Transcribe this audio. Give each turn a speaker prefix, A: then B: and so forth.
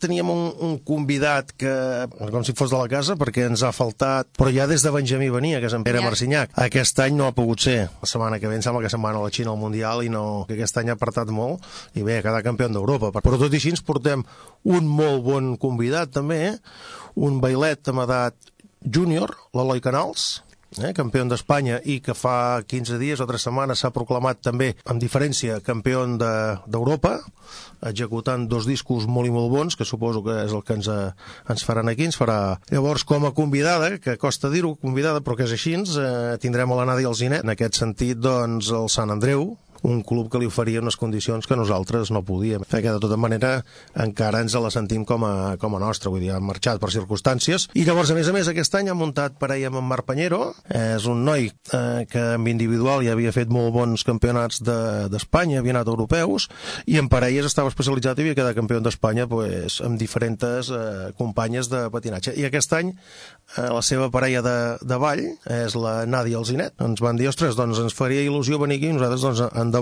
A: teníem un convidat que, com si fos de la casa, perquè ens ha faltat, però ja des de Benjamí venia, que és en Pere Marcinyac. Aquest any no ha pogut ser. La setmana que ve em sembla que se'n va a la Xina al Mundial i no, que aquest any ha apartat molt i bé, ha quedat campió d'Europa. Però tot i així ens portem un molt bon convidat també, un bailet amb edat júnior, l'Eloi Canals, campió d'Espanya i que fa 15 dies o 3 setmanes s'ha proclamat també, amb diferència, campió d'Europa, executant 2 discos molt i molt bons, que suposo que és el que ens faran aquí, ens farà. Llavors, com a convidada, que costa dir-ho, convidada, però que és així, tindrem a la Nàdia Alzinet, en aquest sentit, doncs, el Sant Andreu, un club que li oferia unes condicions que nosaltres no podíem. Que de tota manera encara ens la sentim com a nostra, vull dir, han marxat per circumstàncies. I llavors, a més, aquest any ha muntat parella amb en Marc Pañero, és un noi que en individual ja havia fet molt bons campionats d'Espanya, havia anat a europeus, i en parelles estava especialitzat i havia quedat campió d'Espanya amb diferents companyes de patinatge. I aquest any la seva parella de ball és la Nàdia Alzinet. Ens van dir, ostres, doncs ens faria il·lusió venir aquí, i nosaltres, doncs, endavant.